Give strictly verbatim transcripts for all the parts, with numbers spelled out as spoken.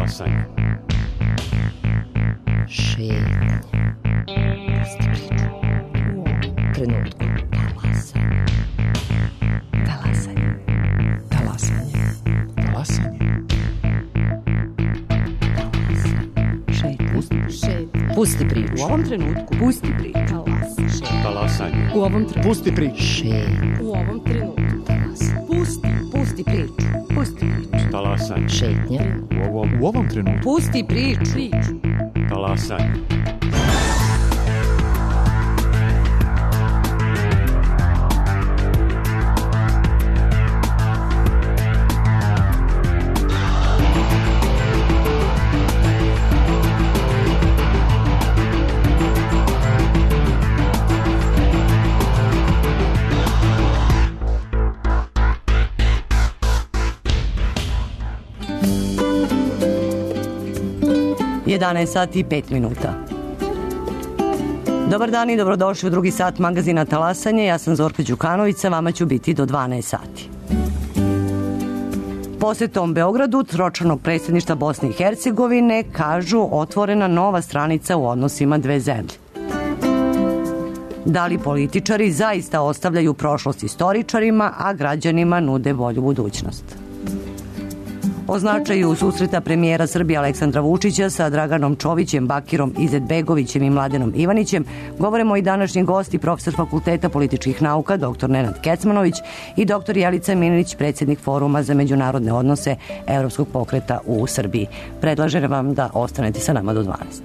Talasanje. Šetnje. Pusti priču. U ovom trenutku. Talasanje. Talasanje. Talasanje. Talasanje. Šetnje. Pusti, Šetnje. Pusti priču. u ovom trenutku. Pusti priču. Talasanje. U ovom trenutku. Pusti priču. Šetnje. U ovom trenutku. Talasanje. Pusti. Pusti priču. Pusti priču. Talasanje. Šetnje. U ovom, U ovom trenutku. Pusti priču. Priču. talasanje. jedanaest sati i pet minuta. Dobar dan i dobrodošli u drugi sat magazina Talasanje. Ja sam Zorka Đukanović, sa vama ću biti do dvanaest sati. Posetom Beogradu, tročlanog predsjedništva Bosne i Hercegovine, kažu otvorena nova stranica u odnosima dve zemlje. Da li političari zaista ostavljaju prošlost istoričarima, a građanima nude bolju budućnost? O značaju susreta premijera Srbije Aleksandra Vučića sa Draganom Čovićem, Bakirom Izetbegovićem i Mladenom Ivanićem govorimo i današnji gosti, profesor Fakulteta političkih nauka doktor Nenad Kecmanović i doktor Jelica Milinić, predsjednik Foruma za međunarodne odnose Evropskog pokreta u Srbiji. Predlažem vam da ostanete sa nama do dvanaest.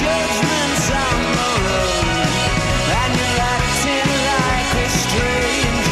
Judgment's on the road, and you're acting like a stranger.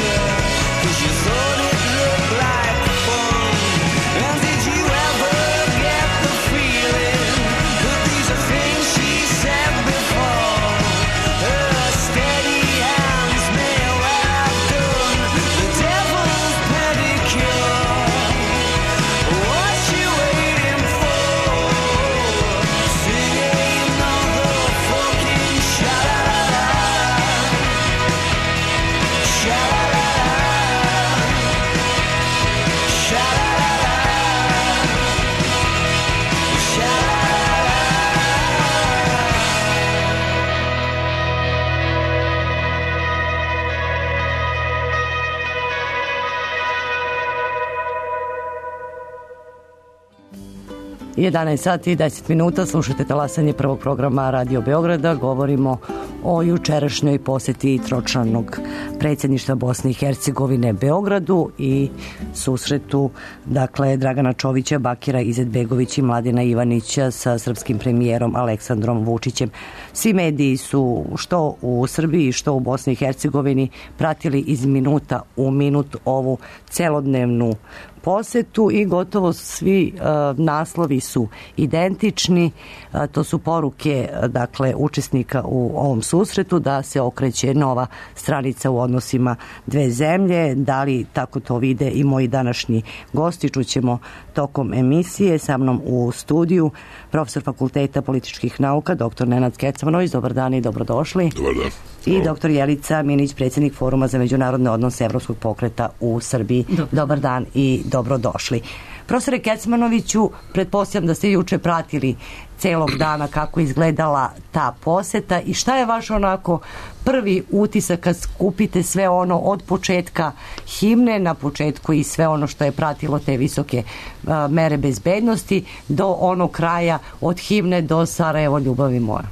jedanaest sati i deset minuta, slušate talasanje prvog programa Radio Beograda. Govorimo o jučerašnjoj poseti tročlanog predsjedništva Bosne i Hercegovine Beogradu i susretu, dakle, Dragana Čovića, Bakira Izetbegović i Mladena Ivanića sa srpskim premijerom Aleksandrom Vučićem. Svi mediji su što u Srbiji, što u Bosni i Hercegovini pratili iz minuta u minut ovu celodnevnu posetu i gotovo svi uh, naslovi su identični. Uh, to su poruke, dakle, učesnika u ovom susretu da se okreće nova stranica u odnosima dve zemlje. Da li tako to vide i moji današnji gosti, čućemo tokom emisije. Sa mnom u studiju profesor Fakulteta političkih nauka, doktor Nenad Kecmanović. Dobar dan i dobrodošli. Dobar dan. I doktor Jelica Minić, predsjednik Foruma za međunarodne odnose Evropskog pokreta u Srbiji. Dobar, Dobar dan i dobrodošli. Profesore Kecmanoviću, pretpostavljam da ste juče pratili celog dana kako izgledala ta poseta i šta je vaš onako prvi utisak kad skupite sve ono od početka himne na početku i sve ono što je pratilo te visoke a, mere bezbednosti do onog kraja od himne do Sarajevo ljubavi moja?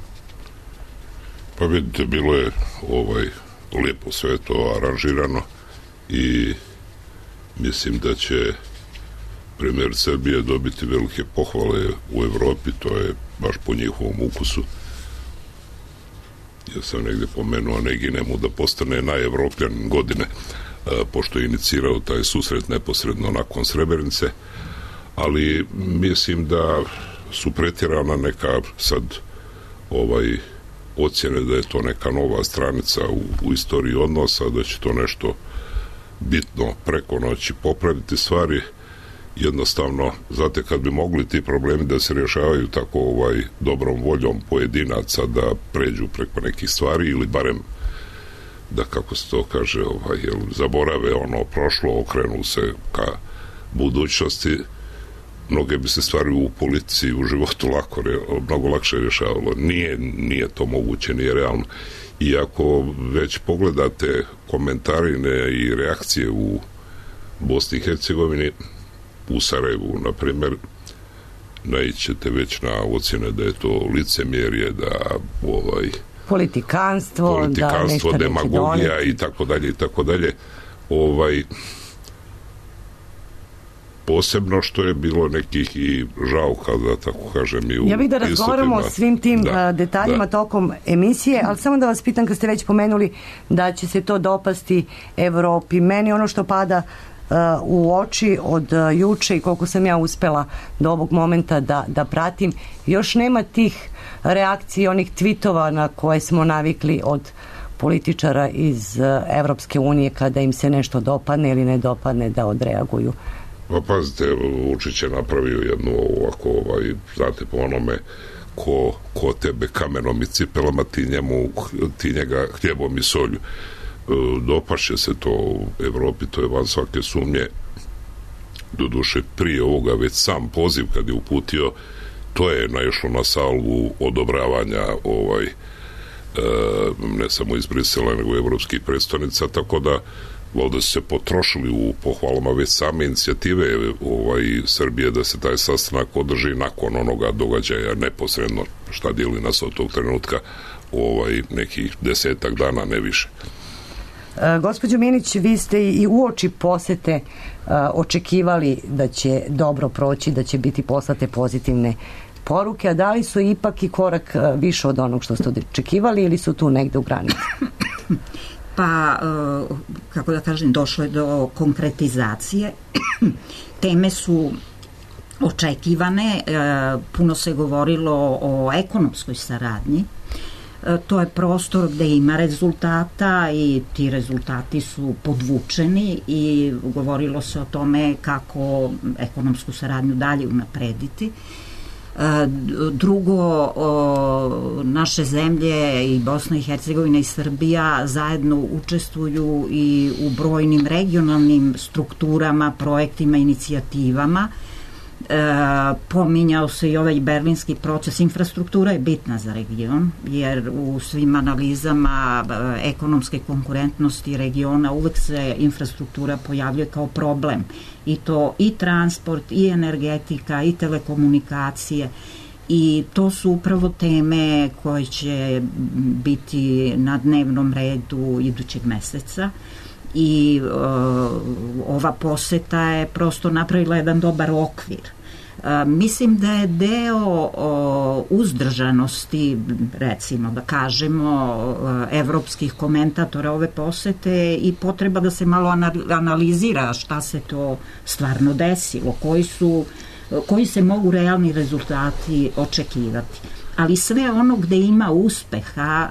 Pa vidite, bilo je ovaj, lijepo sve to aranžirano i mislim da će premijer Srbije dobiti velike pohvale u Evropi, to je baš po njihovom ukusu. Ja sam negdje pomenuo Neginemu da postane najevropljan godine, a, pošto je inicirao taj susret neposredno nakon Srebrenice, ali mislim da su pretjerana neka sad ovaj ocjene da je to neka nova stranica u, u istoriji odnosa, da će to nešto bitno preko noći popraviti stvari. Jednostavno, znate, kad bi mogli ti problemi da se rješavaju tako ovaj dobrom voljom pojedinaca da pređu preko nekih stvari ili barem da, kako se to kaže, ovaj, jel, zaborave ono prošlo, okrenu se ka budućnosti, mnoge bi se stvari u politici, u životu lako, mnogo lakše rješavalo. Nije, nije to moguće, nije realno. I ako već pogledate komentarine i reakcije u Bosni i Hercegovini, u Sarajevu, na primjer, naićete već na ocjene da je to licemjerje, da ovaj politikanstvo, politikanstvo da demagogija i tako dalje i tako dalje. Ovaj posebno što je bilo nekih i žauka, da tako kažem, i u ja bih da razgovaramo o svim tim da, detaljima da. tokom emisije, ali samo da vas pitam, kad ste već pomenuli da će se to dopasti Evropi, meni ono što pada uh, u oči od uh, juče i koliko sam ja uspela do ovog momenta da, da pratim, još nema tih reakcija, onih tvitova na koje smo navikli od političara iz uh, Evropske unije kada im se nešto dopadne ili ne dopadne da odreaguju. Pa pazite, Vučić je napravio jednu ovako, ovaj, znate, po onome ko, ko tebe kamenom i cipelama, ti, njemu, ti njega hljebom i solju. E, dopašće se to u Evropi, to je van svake sumnje. Doduše, prije ovoga već sam poziv kad je uputio, to je naišlo na salvu odobravanja ovaj, e, ne samo iz Brisela, nego evropskih predstavnica, tako da valjda su se potrošili u pohvalama već same inicijative ovaj, Srbije da se taj sastanak održi nakon onoga događaja neposredno, šta dijeli nas od tog trenutka, ovaj, nekih desetak dana, ne više. E, gospođo Minić, vi ste i uoči posete e, očekivali da će dobro proći, da će biti poslate pozitivne poruke, a da li su ipak i korak više od onog što ste očekivali ili su tu negde u granici? Pa, kako da kažem, došlo je do konkretizacije. Teme su očekivane, puno se govorilo o ekonomskoj saradnji. To je prostor gde ima rezultata i ti rezultati su podvučeni i govorilo se o tome kako ekonomsku saradnju dalje unaprediti. Drugo, naše zemlje i Bosna i Hercegovina i Srbija zajedno učestvuju i u brojnim regionalnim strukturama, projektima, inicijativama pominjao se i ovaj berlinski proces. Infrastruktura je bitna za region, jer u svim analizama ekonomske konkurentnosti regiona uvek se infrastruktura pojavljuje kao problem. I to i transport, i energetika, i telekomunikacije. I to su upravo teme koje će biti na dnevnom redu idućeg meseca. I uh, ova poseta je prosto napravila jedan dobar okvir. Uh, mislim da je deo uh, uzdržanosti, recimo da kažemo, uh, evropskih komentatora ove posete i potreba da se malo analizira šta se to stvarno desilo, koji su, koji se mogu realni rezultati očekivati. Ali sve ono gde ima uspeha,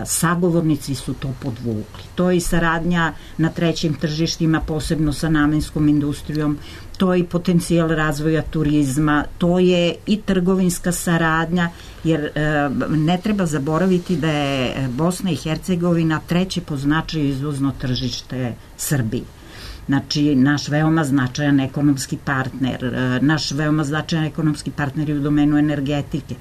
sagovornici su to podvukli. To je i saradnja na trećim tržištima, posebno sa namenskom industrijom, to je i potencijal razvoja turizma, to je i trgovinska saradnja, jer ne treba zaboraviti da je Bosna i Hercegovina treće po značaju izvozno tržište Srbiji. Znači, naš veoma značajan ekonomski partner, naš veoma značajan ekonomski partner je u domenu energetike.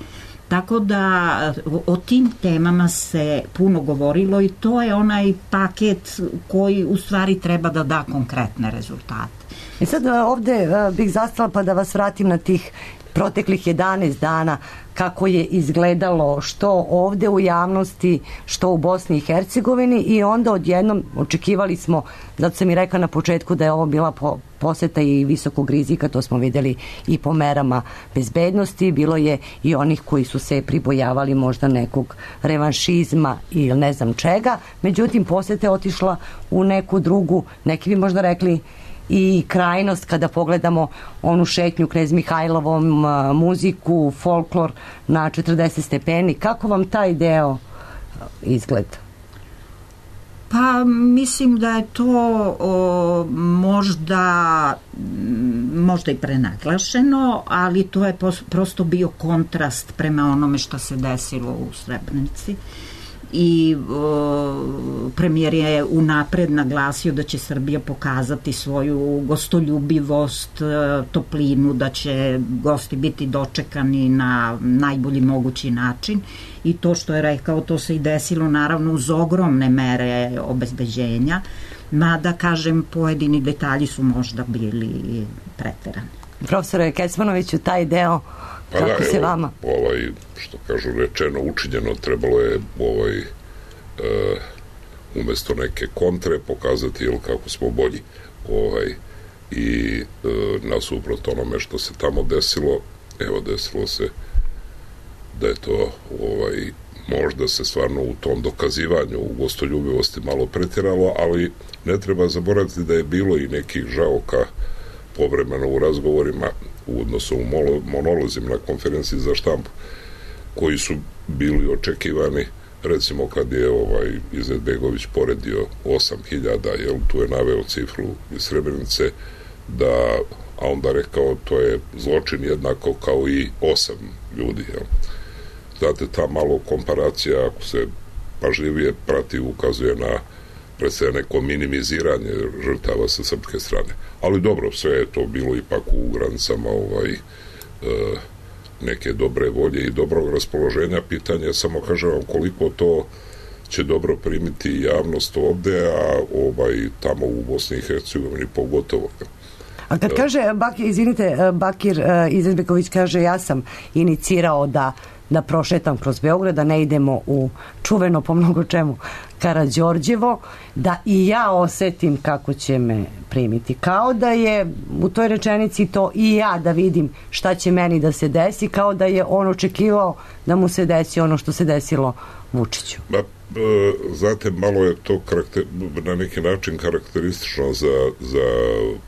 Tako da o tim temama se puno govorilo i to je onaj paket koji u stvari treba da da konkretne rezultate. I sad ovde bih zastala pa da vas vratim na tih proteklih jedanaest dana kako je izgledalo što ovde u javnosti, što u Bosni i Hercegovini i onda odjednom očekivali smo, zato sam i rekla na početku da je ovo bila po, poseta i visokog rizika, to smo videli i po merama bezbednosti, bilo je i onih koji su se pribojavali možda nekog revanšizma ili ne znam čega, međutim poseta je otišla u neku drugu, neki bi možda rekli i krajnost kada pogledamo onu šetnju Knez Mihajlovom, muziku, folklor na četrdeset stepeni. Kako vam taj deo izgleda? Pa mislim da je to o, možda možda i prenaglašeno, ali to je pos, prosto bio kontrast prema onome što se desilo u Srebrenici. I o, premijer je unapred naglasio da će Srbija pokazati svoju gostoljubivost, toplinu, da će gosti biti dočekani na najbolji mogući način i to što je rekao, to se i desilo naravno uz ogromne mere obezbeđenja, mada kažem pojedini detalji su možda bili preterani. Profesore Kecmanoviću, taj deo Pa kako da, se evo, vama? Ovaj, što kažu rečeno, učinjeno, trebalo je ovaj, e, umesto neke kontre pokazati jel, kako smo bolji. Ovaj, I e, nasuprot onome što se tamo desilo, evo desilo se da je to ovaj, možda se stvarno u tom dokazivanju u gostoljubivosti malo pretiralo, ali ne treba zaboraviti da je bilo i nekih žaoka povremeno u razgovorima u odnosu u monolozima na konferenciji za štampu koji su bili očekivani, recimo kad je ovaj Izetbegović poredio osam hiljada, jel, tu je naveo cifru iz Srebrenice, da, a onda rekao to je zločin jednako kao i osam ljudi, jel. Znate, ta malo komparacija, ako se pažljivije prati, ukazuje na predstavlja neko minimiziranje žrtava sa srpske strane. Ali dobro, sve je to bilo ipak u granicama ovaj, e, neke dobre volje i dobrog raspoloženja. Pitanje, samo kažem vam koliko to će dobro primiti javnost ovde, a ovaj, tamo u Bosni i Hercegovini pogotovo. A kad kaže, Bakir, izvinite, Bakir Izetbegović kaže, ja sam inicirao da da prošetam kroz Beograd, da ne idemo u čuveno po mnogo čemu Karađorđevo, da i ja osetim kako će me primiti. Kao da je u toj rečenici to i ja da vidim šta će meni da se desi, kao da je on očekivao da mu se desi ono što se desilo Vučiću. Ba, e, znate, malo je to karakter, na neki način karakteristično za, za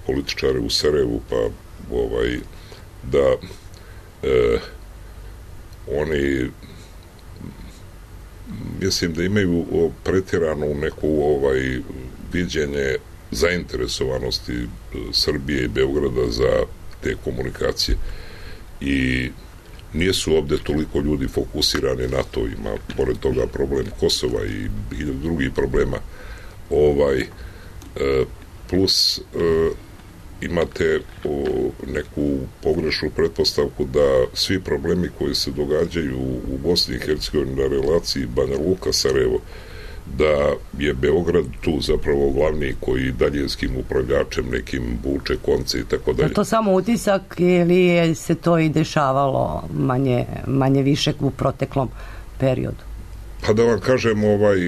političare u Sarajevu, pa ovaj, da e, oni mislim da imaju pretjeranu neku ovaj viđenje zainteresovanosti Srbije i Beograda za te komunikacije i nije su ovde toliko ljudi fokusirani na to, ima pored toga problem Kosova i hiljadu drugih problema ovaj plus imate o, neku pogrešnu pretpostavku da svi problemi koji se događaju u Bosni i Hercegovini na relaciji Banja Luka-Sarajevo, da je Beograd tu zapravo glavni koji daljinskim upravljačem nekim vuče konce i tako dalje. Je to samo utisak ili je se to i dešavalo manje, manje više u proteklom periodu? Pa da vam kažem, ovaj,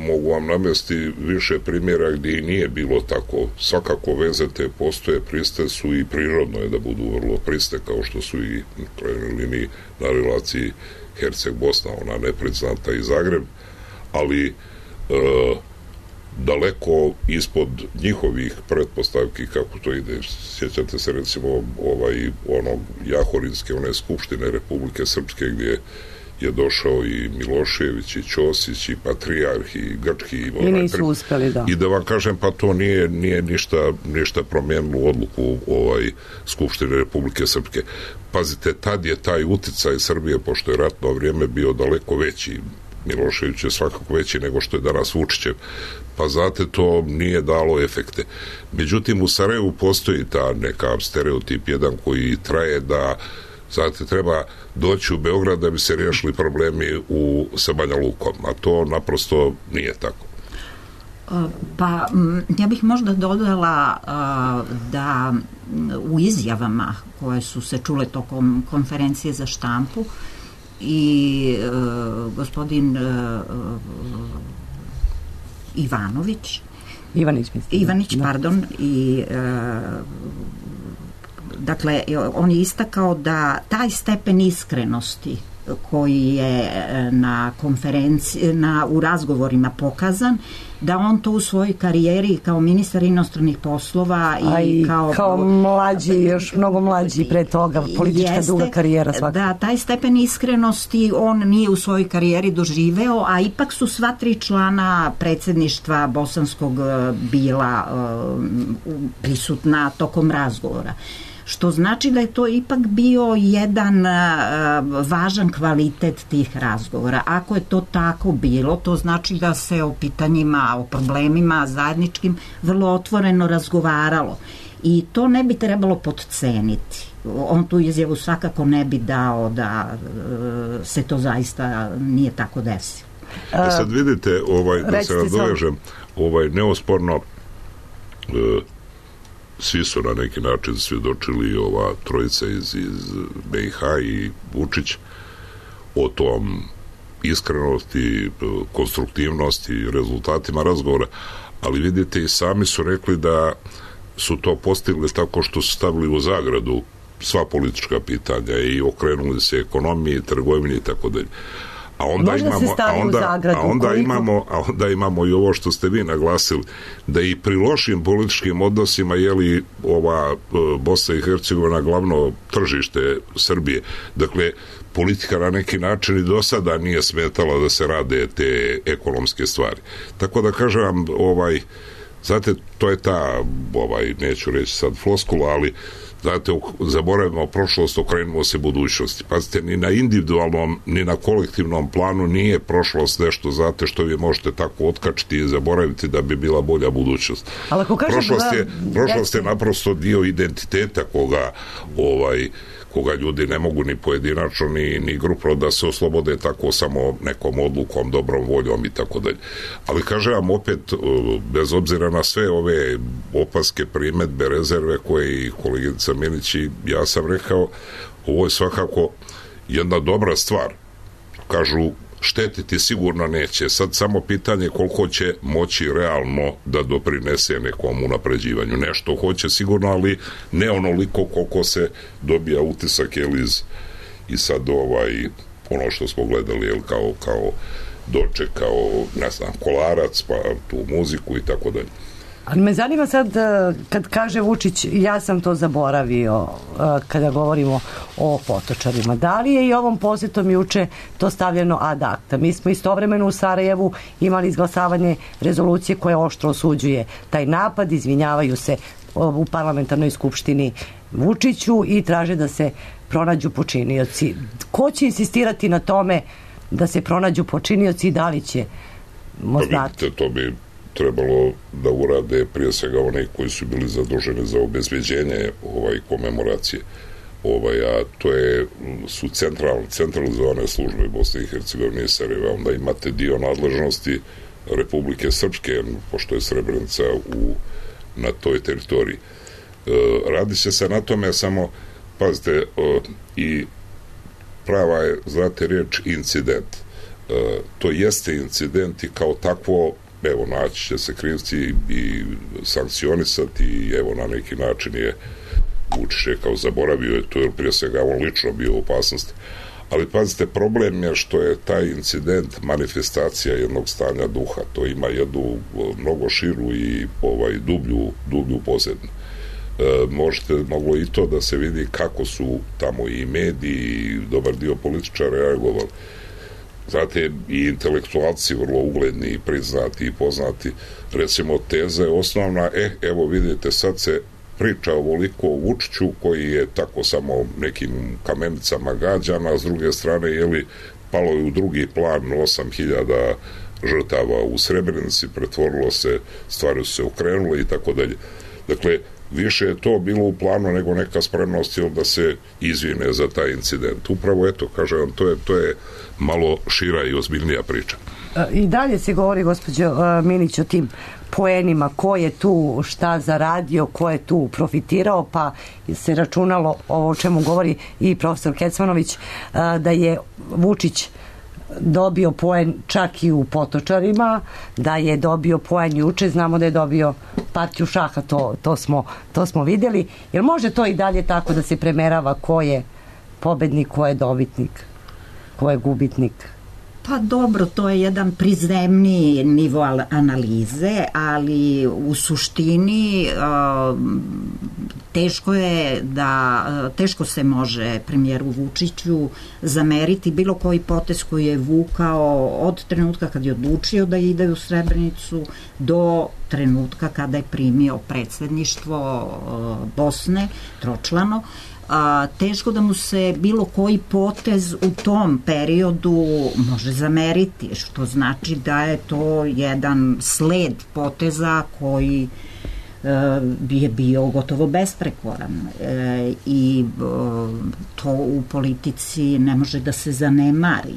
mogu vam navesti više primjera gdje i nije bilo tako. Svakako veze te postoje, priste su i prirodno je da budu vrlo priste, kao što su i u krajnjoj liniji na relaciji Herceg-Bosna, ona nepriznata i Zagreb, ali e, daleko ispod njihovih pretpostavki kako to ide. Sjećate se recimo ovaj, onog Jahorinske, one skupštine Republike Srpske gdje je došao i Milošević i Ćosić i Patrijarh i Grčki i, I nisu uspeli, da. I da vam kažem, pa to nije, nije ništa, ništa promijenilo odluku ovaj Skupštine Republike Srpske. Pazite, tad je taj uticaj Srbije, pošto je ratno vrijeme bio daleko veći, Milošević je svakako veći nego što je danas Vučićev, pa znate, to nije dalo efekte. Međutim, u Sarajevu postoji ta neka stereotip jedan koji traje da znate, treba doći u Beograd da bi se riješili problemi u, sa Banja Lukom, a to naprosto nije tako. Pa, ja bih možda dodala da u izjavama koje su se čule tokom konferencije za štampu i gospodin Ivanović Ivanić, mislim. Ivanić, pardon, i dakle, on je istakao da taj stepen iskrenosti koji je na konferenciji, na, u razgovorima pokazan, da on to u svojoj karijeri kao ministar inostranih poslova i, i kao, kao mlađi, još mnogo mlađi pre toga, politička jeste, duga karijera svakako. Da, taj stepen iskrenosti on nije u svojoj karijeri doživeo, a ipak su sva tri člana predsjedništva bosanskog bila uh, prisutna tokom razgovora. Što znači da je to ipak bio jedan uh, važan kvalitet tih razgovora. Ako je to tako bilo, to znači da se o pitanjima, o problemima zajedničkim vrlo otvoreno razgovaralo. I to ne bi trebalo podceniti. On tu izjavu svakako ne bi dao da uh, se to zaista nije tako desilo. A sad vidite, ovaj, da se nadovežem, ovaj, neosporno uh, svi su na neki način svjedočili, ova trojica iz, iz B i H i Vučić, o tom iskrenosti, konstruktivnosti, rezultatima razgovora, ali vidite i sami su rekli da su to postigli tako što su stavili u zagradu sva politička pitanja i okrenuli se ekonomiji, trgovini i tako dalje. A onda Možda imamo, a onda, zagradu, a onda koliko... imamo, a onda imamo i ovo što ste vi naglasili, da i pri lošim političkim odnosima je li ova Bosna i Hercegovina glavno tržište Srbije. Dakle, politika na neki način i do sada nije smetala da se rade te ekonomske stvari. Tako da kažem vam, ovaj, znate, to je ta, ovaj, neću reći sad floskula, ali znate, zaboravimo prošlost, okrenimo se budućnosti. Pazite, ni na individualnom, ni na kolektivnom planu nije prošlost nešto, znate, što vi možete tako otkačiti i zaboraviti da bi bila bolja budućnost. Ali ako kažem, prošlost je, da, prošlost je naprosto dio identiteta koga ovaj koga ljudi ne mogu ni pojedinačno ni, ni grupno da se oslobode tako samo nekom odlukom, dobrom voljom i tako dalje. Ali kažem vam opet, bez obzira na sve ove opaske, primedbe, rezerve koje i kolegica Milić i ja sam rekao, ovo je svakako jedna dobra stvar. Kažu, štetiti sigurno neće. Sad samo pitanje koliko će moći realno da doprinese nekom unapređivanju. Nešto hoće sigurno, ali ne onoliko koliko se dobija utisak, jel, iz, i sad ovaj, ono što smo gledali, jel, kao, kao doček, kao, ne znam, Kolarac, pa tu muziku i tako dalje. Ali me zanima sad, kad kaže Vučić, ja sam to zaboravio kada govorimo o Potočarima. Da li je i ovom posjetom juče to stavljeno ad acta? Mi smo istovremeno u Sarajevu imali izglasavanje rezolucije koja oštro osuđuje taj napad, izvinjavaju se u parlamentarnoj skupštini Vučiću i traže da se pronađu počinioci. Ko će insistirati na tome da se pronađu počinioci i da li će znati? To bi trebalo da urade prije svega oni koji su bili zaduženi za obezbeđenje ovaj komemoracije. Ovaj, a to je, su central, centralizovane službe Bosne i Hercegovine i Sarajeva. Onda imate dio nadležnosti Republike Srpske, pošto je Srebrenica u, na toj teritoriji. E, radi se se na tome, samo pazite, e, i prava je, znate, riječ incident. E, to jeste incident i kao takvo, evo, naći će se krivci i sankcionisati i evo, na neki način je Vučić je kao zaboravio je to, jer prije svega on lično bio u opasnosti. Ali pazite, problem je što je taj incident manifestacija jednog stanja duha. To ima jednu mnogo širu i ovaj, dublju, dublju pozadinu. E, možete, moglo i to da se vidi kako su tamo i mediji i dobar dio političara reagovali. Znate, i intelektualci vrlo ugledni i priznati i poznati, recimo teza je osnovna, e, evo vidite, sad se priča ovoliko o Vučiću koji je tako samo nekim kamenicama gađan, a s druge strane, jeli, palo je u drugi plan osam hiljada žrtava u Srebrenici, pretvorilo se, stvari su se okrenule i tako dalje. Dakle, više je to bilo u planu nego neka spremnost da se izvine za taj incident. Upravo, eto, kažem vam, to je, to je malo šira i ozbiljnija priča. I dalje se govori, gospođo Minić, o tim poenima, ko je tu šta zaradio, ko je tu profitirao, pa se računalo ovo o čemu govori i profesor Kecmanović, da je Vučić dobio poen čak i u Potočarima, da je dobio poen juče, znamo da je dobio partiju šaha, to, to, smo, to smo vidjeli. Jer može to i dalje tako da se premerava ko je pobednik, ko je dobitnik, ko je gubitnik? Pa dobro, to je jedan prizemni nivo analize, ali u suštini teško je da, teško se može premijeru Vučiću zameriti bilo koji potez koji je vukao od trenutka kad je odlučio da ide u Srebrenicu do trenutka kada je primio predsjedništvo Bosne, tročlano. A, teško da mu se bilo koji potez u tom periodu može zameriti, što znači da je to jedan sled poteza koji e, je bio gotovo besprekoran e, i e, to u politici ne može da se zanemari.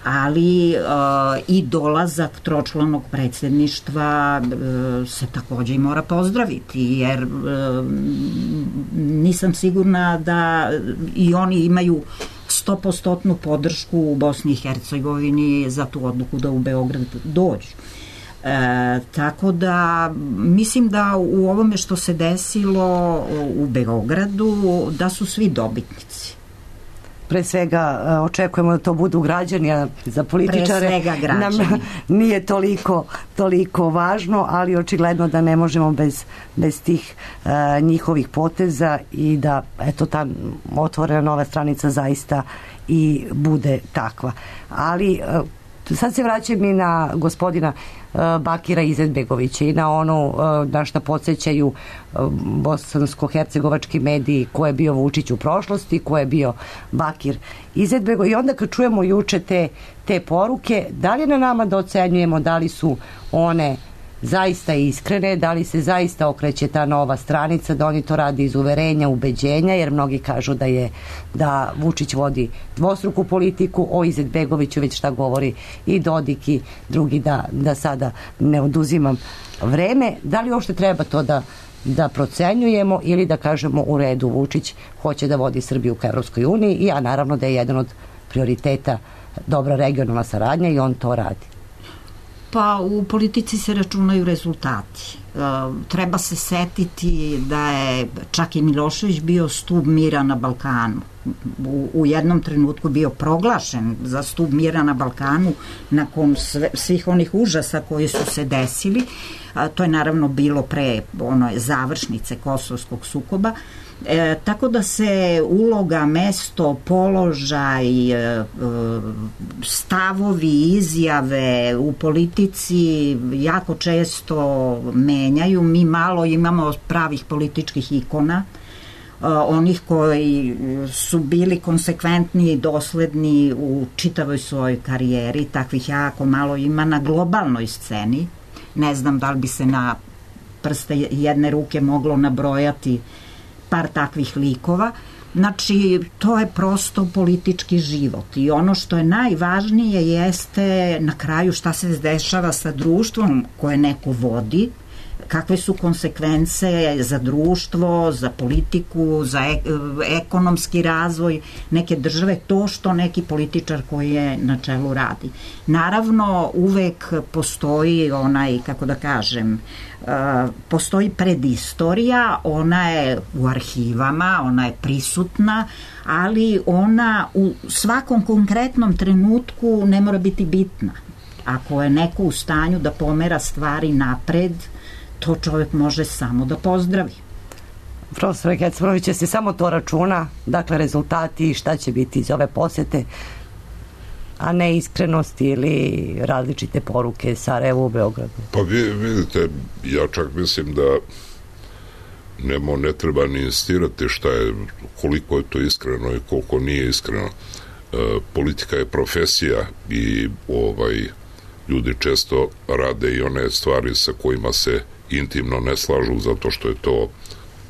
Ali uh, i dolazak tročlanog predsjedništva uh, se također i mora pozdraviti, jer uh, nisam sigurna da i oni imaju sto posto podršku u Bosni i Hercegovini za tu odluku da u Beograd dođu. E, tako da mislim da u ovome što se desilo u Beogradu da su svi dobitnici. Pre svega očekujemo da to budu građani, a za političare nam nije toliko, toliko važno, ali očigledno da ne možemo bez, bez tih uh, njihovih poteza i da eto ta otvorena nova stranica zaista i bude takva. Ali uh, sad se vraćam i na gospodina uh, Bakira Izetbegovića i na ono uh, na što podsjećaju uh, bosansko-hercegovački mediji ko je bio Vučić u prošlosti, ko je bio Bakir Izetbegović. I onda kad čujemo juče te, te poruke, da li je na nama da ocenjujemo da li su one zaista iskrene, da li se zaista okreće ta nova stranica, da oni to radi iz uverenja, ubeđenja, jer mnogi kažu da je da Vučić vodi dvostruku politiku, o Izetbegoviću već šta govori i Dodik i drugi, da, da sada ne oduzimam vreme. Da li uopšte treba to da, da procenjujemo ili da kažemo u redu, Vučić hoće da vodi Srbiju ka Evropskoj uniji i ja naravno da je jedan od prioriteta dobra regionalna saradnja i on to radi. Pa u politici se računaju rezultati. E, treba se setiti da je čak i Milošević bio stub mira na Balkanu. U, u jednom trenutku bio proglašen za stub mira na Balkanu nakon sve, svih onih užasa koji su se desili. A, to je naravno bilo pre ono, završnice kosovskog sukoba. E, tako da se uloga, mesto, položaj, e, stavovi, izjave u politici jako često menjaju. Mi malo imamo pravih političkih ikona, e, onih koji su bili konsekventni i dosledni u čitavoj svojoj karijeri, takvih jako malo ima na globalnoj sceni. ne znam da li bi se na prste jedne ruke moglo nabrojati par takvih likova. Znači, to je prosto politički život i ono što je najvažnije jeste na kraju šta se dešava sa društvom koje neko vodi, kakve su konsekvence za društvo, za politiku, za ek ekonomski razvoj neke države, to što neki političar koji je na čelu radi. Naravno, uvek postoji onaj, kako da kažem, uh, postoji predistorija, ona je u arhivama, ona je prisutna, ali ona u svakom konkretnom trenutku ne mora biti bitna. Ako je neko u stanju da pomera stvari napred, to čovjek može samo da pozdravi. Profesor Kecmanović, se samo to računa, dakle rezultati i šta će biti iz ove posete, a ne iskrenosti ili različite poruke Sarajevu u Beogradu? Pa vi vidite, ja čak mislim da nemo, ne treba ni insistirati šta je, koliko je to iskreno i koliko nije iskreno. E, politika je profesija i ovaj ljudi često rade i one stvari sa kojima se intimno ne slažu zato što je to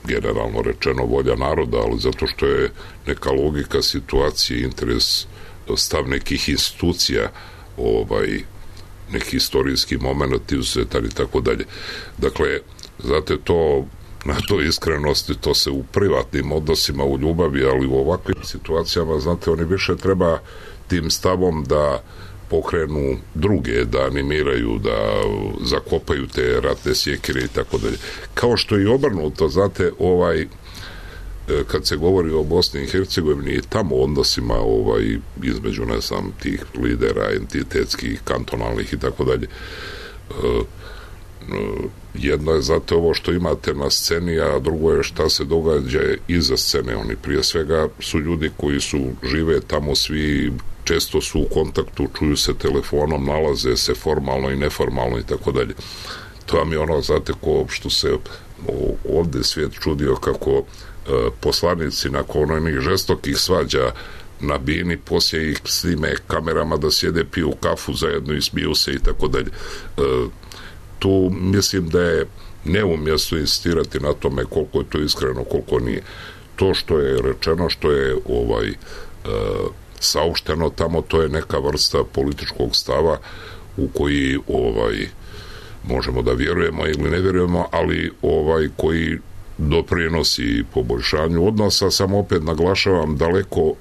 generalno rečeno volja naroda, ali zato što je neka logika situacije, interes, stav nekih institucija, ovaj, neki istorijski moment, izuzetan i tako dalje. Dakle, znate, to na toj iskrenosti, to se u privatnim odnosima, u ljubavi, ali u ovakvim situacijama, znate, oni više treba tim stavom da pokrenu druge, da animiraju, da zakopaju te ratne sjekire i tako dalje. Kao što je i obrnuto, znate, ovaj, kad se govori o Bosni i Hercegovini i tamo odnosima ovaj, između, ne znam, tih lidera entitetskih, kantonalnih i tako dalje, jedno je zato ovo što imate na sceni, a drugo je šta se događa iza scene. Oni prije svega su ljudi koji su žive tamo, svi često su u kontaktu, čuju se telefonom, nalaze se formalno i neformalno i tako dalje. To vam je ono, znate, ko što se ovde svijet čudio kako e, poslanici nakon onih žestokih svađa na bini, poslije ih snime kamerama da sjede, piju kafu zajedno i smiju se i tako dalje. E, tu mislim da je neumjesno insistirati na tome koliko je to iskreno, koliko nije. To što je rečeno, što je ovaj e, saopšteno tamo, to je neka vrsta političkog stava u koji ovaj možemo da vjerujemo ili ne vjerujemo, ali ovaj koji doprinosi poboljšanju odnosa, samo opet naglašavam, daleko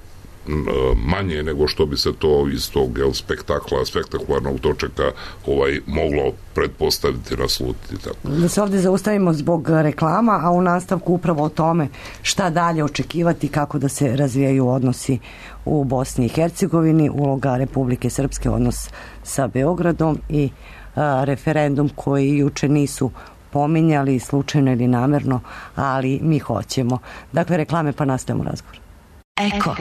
manje nego što bi se to iz tog jel, spektakla, spektakularnog dočeka ovaj, moglo pretpostaviti, naslutiti. Tako. Da se ovdje zaustavimo zbog reklama, a u nastavku upravo o tome šta dalje očekivati, kako da se razvijaju odnosi u Bosni i Hercegovini, uloga Republike Srpske, odnos sa Beogradom i a, referendum koji juče nisu pominjali slučajno ili namerno, ali mi hoćemo. Dakle, reklame pa nastavimo razgovor. Eko.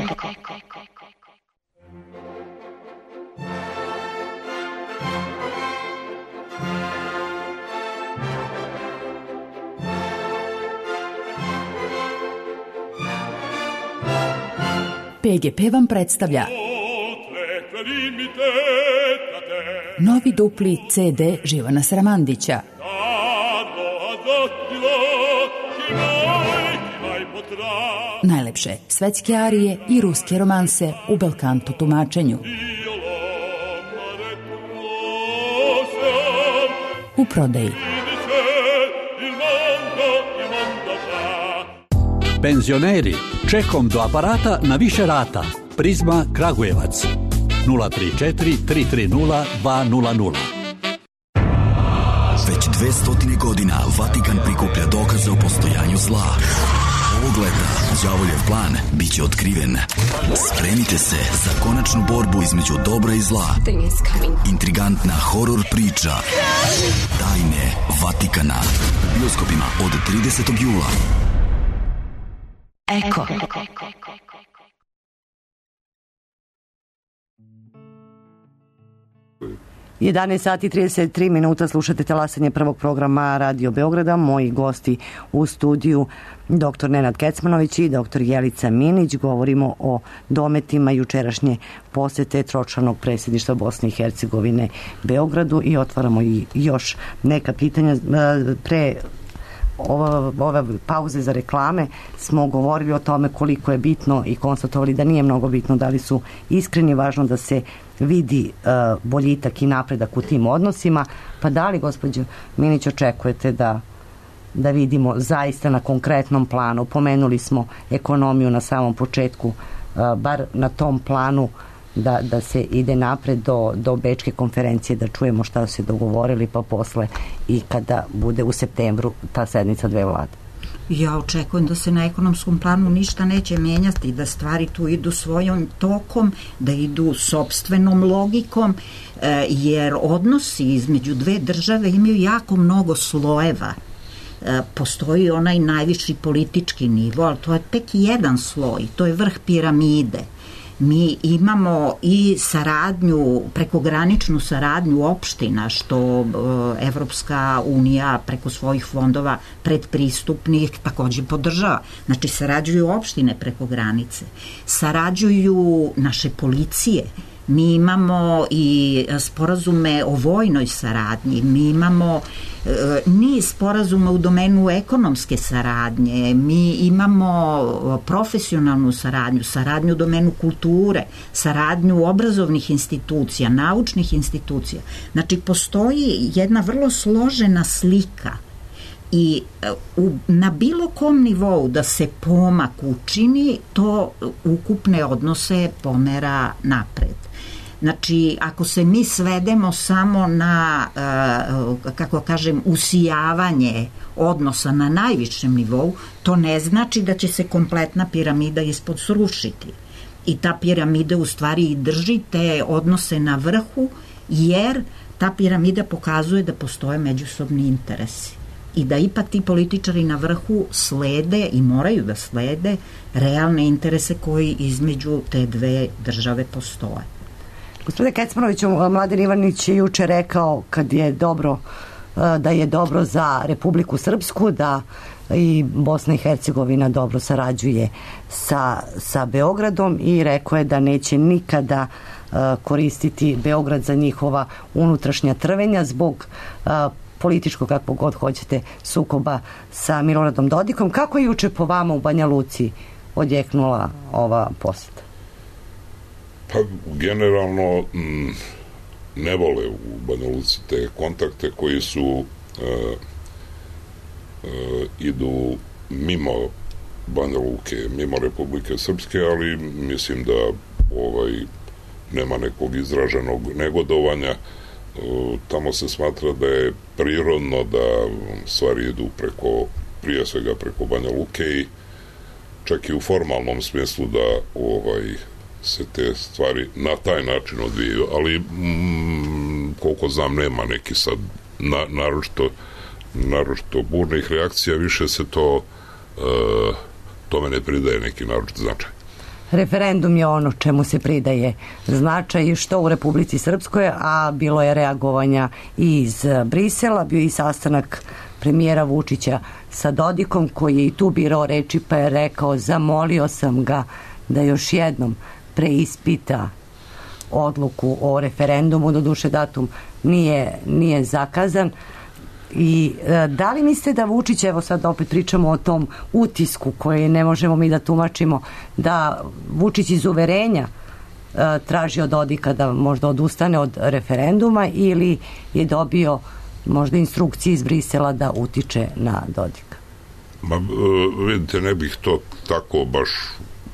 P G P vam predstavlja novi dupli C D Živana Sramandića. Najlepše svetske arije i ruske romanse u belkanto tumačenju. U prodaji. Penzioneri, čekom do aparata na više rata. Prizma Kragujevac. nula tri četiri tri tri nula dva nula nula. Već dve stotine godina Vatikan prikuplja dokaze o postojanju zla. Ovog leta đavoljev plan biće otkriven. Spremite se za konačnu borbu između dobra i zla. Intrigantna horor priča Tajne Vatikana u bioskopima od tridesetog jula. Eko. jedanaest sati i trideset tri minuta, slušate talasanje prvog programa Radio Beograda. Moji gosti u studiju doktor Nenad Kecmanović i doktor Jelica Minić. Govorimo o dometima jučerašnje posete tročlanog predsjedništva Bosne i Hercegovine Beogradu i otvaramo i još neka pitanja. Pre ova, ova pauze za reklame smo govorili o tome koliko je bitno i konstatovali da nije mnogo bitno da li su iskreni, važno da se vidi uh, boljitak i napredak u tim odnosima. Pa da li, gospođo Minić, očekujete da da vidimo zaista na konkretnom planu? Pomenuli smo ekonomiju na samom početku, uh, bar na tom planu da, da se ide napred do, do Bečke konferencije, da čujemo šta su se dogovorili, pa posle i kada bude u septembru ta sednica dve vlade. Ja očekujem da se na ekonomskom planu ništa neće menjati, da stvari tu idu svojom tokom, da idu sopstvenom logikom, jer odnosi između dve države imaju jako mnogo slojeva. Postoji onaj najviši politički nivo, ali to je tek jedan sloj, to je vrh piramide. Mi imamo i saradnju, prekograničnu saradnju opština, što Evropska unija preko svojih fondova predpristupnih takođe podržava. Znači, sarađuju opštine preko granice, sarađuju naše policije. Mi imamo i sporazume o vojnoj saradnji, mi imamo e, niz sporazuma u domenu ekonomske saradnje, mi imamo profesionalnu saradnju, saradnju u domenu kulture, saradnju obrazovnih institucija, naučnih institucija. Znači, postoji jedna vrlo složena slika i u, na bilo kom nivou da se pomak učini, to ukupne odnose pomera napred. Znači, ako se mi svedemo samo na, kako kažem, usijavanje odnosa na najvišem nivou, to ne znači da će se kompletna piramida ispod srušiti. I ta piramida u stvari i drži te odnose na vrhu, jer ta piramida pokazuje da postoje međusobni interesi i da ipak ti političari na vrhu slede i moraju da slede realne interese koji između te dve države postoje. Gospodine Kecmanoviću, Mladen Ivanić je juče rekao kad je dobro, da je dobro za Republiku Srpsku, da i Bosna i Hercegovina dobro sarađuje sa, sa Beogradom, i rekao je da neće nikada uh, koristiti Beograd za njihova unutrašnja trvenja zbog uh, političkog, kako god hoćete, sukoba sa Miloradom Dodikom. Kako je juče po vama u Banja Luci odjeknula ova poseta? Pa generalno m, ne vole u Banja Luci te kontakte koji su e, e, idu mimo Banja Luke, mimo Republike Srpske, ali mislim da ovaj nema nekog izraženog negodovanja. E, tamo se smatra da je prirodno da stvari idu preko, prije svega preko Banja Luke, i čak i u formalnom smislu da ovaj se te stvari na taj način odvijaju, ali mm, koliko znam nema neki sad na, naročito, naročito burnih reakcija, više se to e, tome ne pridaje neki naročit značaj. Referendum je ono čemu se pridaje značaj, što u Republici Srpskoj, a bilo je reagovanja i iz Brisela, bio i sastanak premijera Vučića sa Dodikom, koji je i tu birao reči, pa je rekao, zamolio sam ga da još jednom preispita odluku o referendumu, doduše datum nije, nije zakazan. I e, da li mislite da Vučić, evo sad opet pričamo o tom utisku koji ne možemo mi da tumačimo, da Vučić iz uverenja e, traži od Dodika da možda odustane od referenduma, ili je dobio možda instrukcije iz Brisela da utiče na Dodika? Ma, vidite, ne bih to tako baš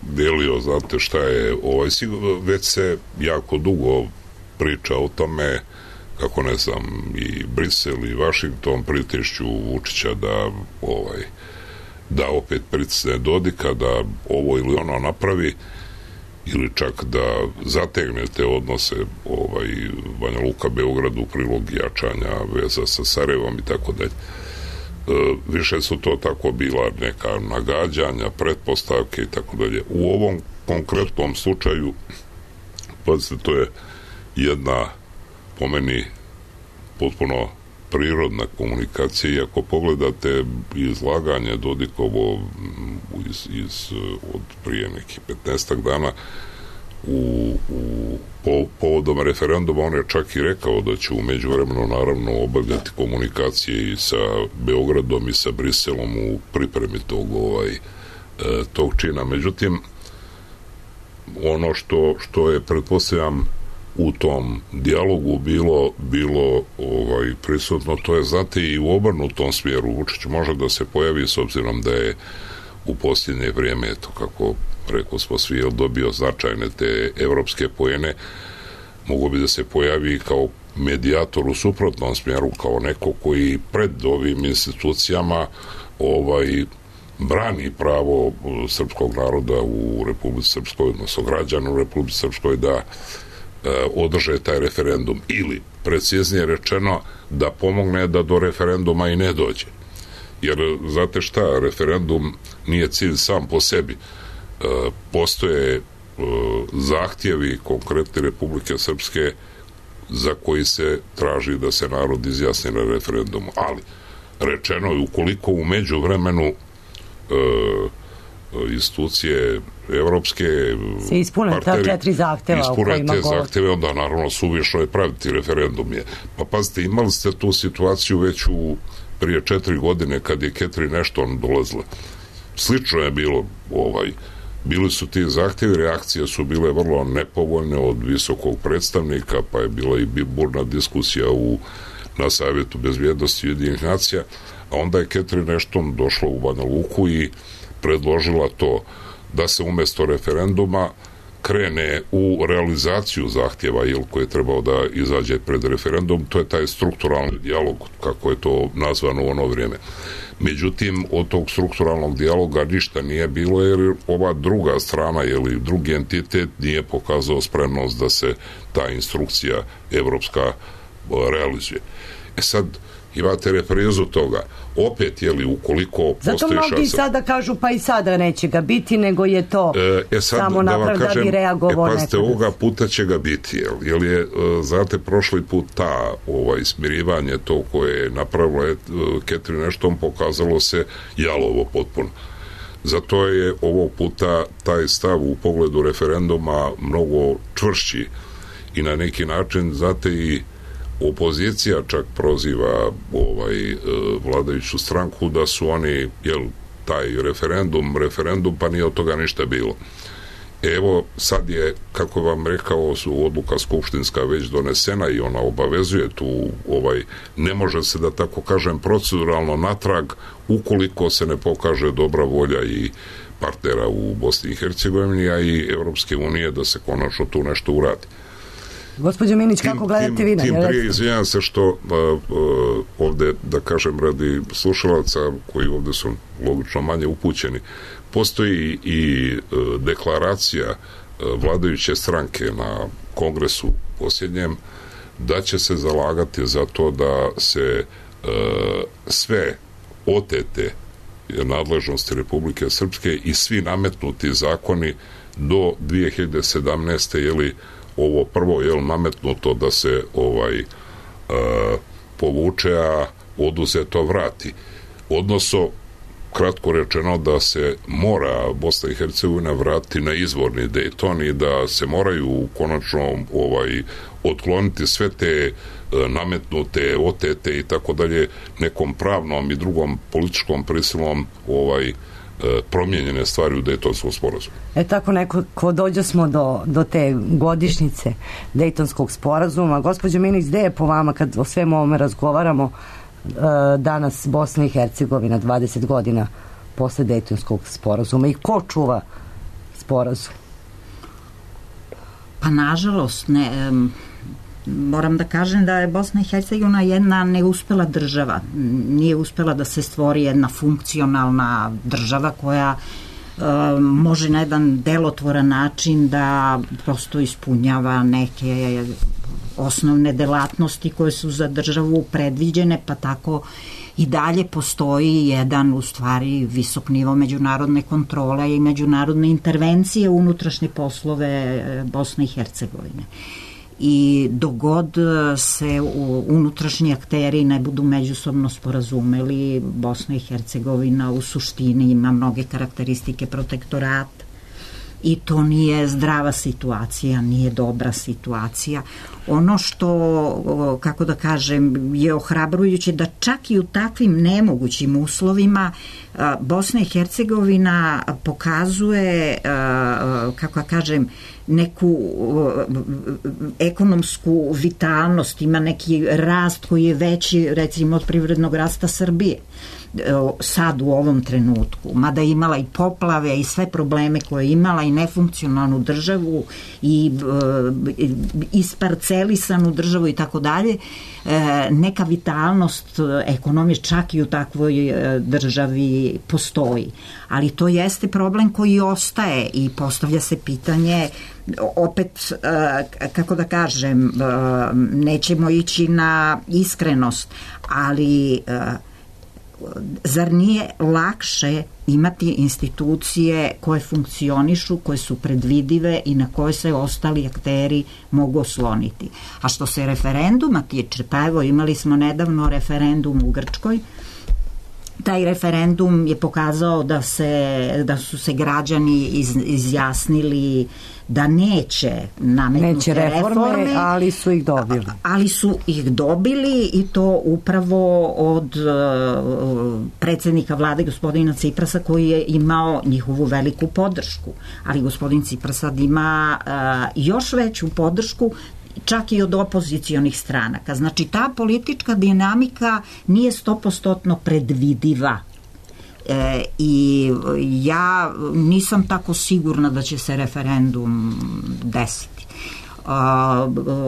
delio, znate šta je, ovaj, već se jako dugo priča o tome kako, ne znam, i Brisel i Vašington pritišću Vučića da ovaj, da opet pritisne Dodika, da ovo ili ono napravi, ili čak da zategne te odnose ovaj, Banja Luka Beogradu u prilog jačanja veza sa Sarajevom i tako dalje. Više su to tako bila neka nagađanja, pretpostavke i tako dalje. U ovom konkretnom slučaju, pazite, to je jedna, po meni, potpuno prirodna komunikacija i ako pogledate izlaganje Dodikovo iz, iz, od prije nekih petnaestak dana u, u po, povodom referenduma, on je čak i rekao da će u međuvremenu naravno obavljati komunikacije i sa Beogradom i sa Briselom u pripremi tog, ovaj, tog čina. Međutim, ono što, što je, pretpostavljam, u tom dijalogu bilo, bilo ovaj, prisutno, to je, znate, i u obrnutom smjeru. Vučić može da se pojavi, s obzirom da je u posljednje vrijeme, eto, kako rekao smo svi, dobio značajne te evropske poene, mogu bi da se pojavi kao medijator u suprotnom smjeru, kao neko koji pred ovim institucijama ovaj, brani pravo srpskog naroda u Republici Srpskoj, odnosno građana u Republici Srpskoj da održe taj referendum, ili preciznije rečeno da pomogne da do referenduma i ne dođe. Jer, znate šta, referendum nije cilj sam po sebi. Postoje zahtjevi konkretne Republike Srpske za koji se traži da se narod izjasni na referendumu. Ali, rečeno je, ukoliko u međuvremenu institucije evropske se ispune ta četiri zahteva ispune te zahteve, onda naravno suvišno je praviti referendum. Je. Pa pazite, imali ste tu situaciju već u prije četiri godine kad je Catherine Ashton dolazila. Slično je bilo, ovaj, bili su ti zahtjevi, reakcije su bile vrlo nepovoljne od visokog predstavnika, pa je bila i burna diskusija u, na Savjetu bezbjednosti Ujedinjenih nacija, a onda je Catherine Ashton došla u Banja Luku i predložila to da se umjesto referenduma krene u realizaciju zahtjeva, jel, koji je trebao da izađe pred referendum. To je taj strukturalni dijalog, kako je to nazvano u ono vrijeme. Međutim, od tog strukturalnog dijaloga ništa nije bilo, jer ova druga strana, ili drugi entitet nije pokazao spremnost da se ta instrukcija evropska realizuje. E sad, imate reprizu toga. Opet, jeli, ukoliko zato postoji mnogi šansa... sada kažu, pa i sada neće ga biti, nego je to e, e sad, samo da naprav da bi reagovao e, pazite, nekada. ovoga puta će ga biti, jel, jel je, znate, prošli put ta ovaj, smirivanje to koje je napravila Catherine Ashton pokazalo se jalovo potpuno. Zato je ovog puta taj stav u pogledu referenduma mnogo čvršći i na neki način, znate, i opozicija čak proziva ovaj, vladajuću stranku da su oni, jel, taj referendum, referendum, pa nije od toga ništa bilo. Evo, sad je, kako vam rekao, su odluka skupštinska već donesena i ona obavezuje tu, ovaj, ne može se, da tako kažem, proceduralno natrag, ukoliko se ne pokaže dobra volja i partnera u Bosni i Hercegovini, a i Evropske unije da se konačno tu nešto uradi. Gospođo Minić, kako gledate vi na tim prije, izvinjam se što uh, uh, ovde, da kažem, radi slušalaca koji ovde su logično manje upućeni, postoji i uh, deklaracija uh, vladajuće stranke na kongresu posljednjem da će se zalagati za to da se uh, sve otete nadležnosti Republike Srpske i svi nametnuti zakoni do dvije hiljade sedamnaeste. Jeli ovo prvo, jel, nametnuto da se ovaj uh, povuče, a oduzeto vrati. Odnosno, kratko rečeno, da se mora Bosna i Hercegovina vratiti na izvorni Dejton i da se moraju konačno ovaj, otkloniti sve te uh, nametnute, otete i tako dalje nekom pravnom i drugom političkom prisilom ovaj promijenjene stvari u Dejtonskom sporazumu. E tako neko, ko dođe smo do, do te godišnjice Dejtonskog sporazuma. Gospođo Minić, gde je po vama, kad o svemu ovome razgovaramo, danas Bosna i Hercegovina, dvadeset godina posle Dejtonskog sporazuma, i ko čuva sporazum? Pa nažalost ne, moram da kažem da je Bosna i Hercegovina jedna neuspela država. Nije uspela da se stvori jedna funkcionalna država koja e, može na jedan delotvoran način da prosto ispunjava neke osnovne delatnosti koje su za državu predviđene, pa tako i dalje postoji jedan, u stvari, visok nivo međunarodne kontrole i međunarodne intervencije u unutrašnje poslove Bosne i Hercegovine. i dogod se unutrašnji akteri ne budu međusobno sporazumeli, Bosna i Hercegovina u suštini ima mnoge karakteristike protektorata i to nije zdrava situacija, nije dobra situacija. Ono što, kako da kažem, je ohrabrujuće da čak i u takvim nemogućim uslovima Bosna i Hercegovina pokazuje, kako da kažem, neku ekonomsku vitalnost, ima neki rast koji je veći, recimo, od privrednog rasta Srbije sad u ovom trenutku, mada je imala i poplave i sve probleme koje je imala i nefunkcionalnu državu i e, isparcelisanu državu i tako dalje, neka vitalnost ekonomije čak i u takvoj državi postoji. Ali to jeste problem koji ostaje i postavlja se pitanje, opet, kako da kažem, nećemo ići na iskrenost, ali zar nije lakše imati institucije koje funkcionišu, koje su predvidive i na koje se ostali akteri mogu osloniti? A što se referenduma tiče, pa evo imali smo nedavno referendum u Grčkoj. Taj referendum je pokazao da, se, da su se građani iz, izjasnili da neće nametnuti neće reforme, reforme, ali su ih dobili. Ali su ih dobili i to upravo od uh, predsjednika vlade gospodina Ciprasa, koji je imao njihovu veliku podršku. Ali gospodin Cipras sad ima uh, još veću podršku, čak i od opozicionih stranaka. Znači, ta politička dinamika nije stopostotno predvidiva. E, i ja nisam tako sigurna da će se referendum desiti. Uh,